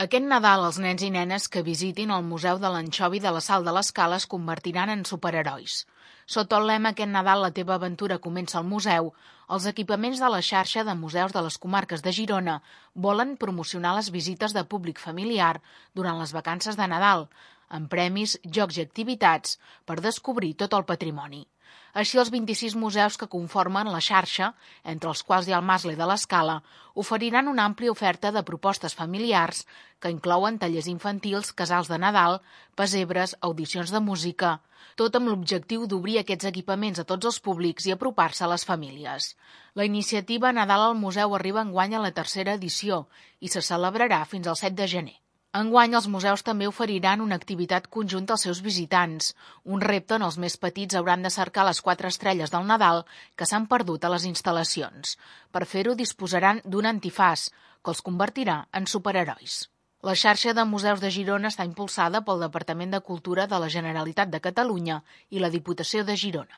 Aquest Nadal, els nens i nenes que visitin el Museu de l'Anxovi de la Sal de l'Escala es convertiran en superherois. Sota el lema «Aquest Nadal la teva aventura comença al museu», els equipaments de la xarxa de museus de les comarques de Girona volen promocionar les visites de públic familiar durant les vacances de Nadal, amb premis, jocs i activitats per descobrir tot el patrimoni. Així, els 26 museus que conformen la xarxa, entre els quals hi ha el Mascle de l'Escala, oferiran una àmplia oferta de propostes familiars que inclouen tallers infantils, casals de Nadal, pessebres, audicions de música, tot amb l'objectiu d'obrir aquests equipaments a tots els públics i apropar-se a les famílies. La iniciativa Nadal al Museu arriba enguany a la tercera edició i se celebrarà fins al 7 de gener. Enguany, els museus també oferiran una activitat conjunta als seus visitants. Un repte on els més petits hauran de cercar les 4 estrelles del Nadal que s'han perdut a les instal·lacions. Per fer-ho disposaran d'un antifaç, que els convertirà en superherois. La xarxa de museus de Girona està impulsada pel Departament de Cultura de la Generalitat de Catalunya i la Diputació de Girona.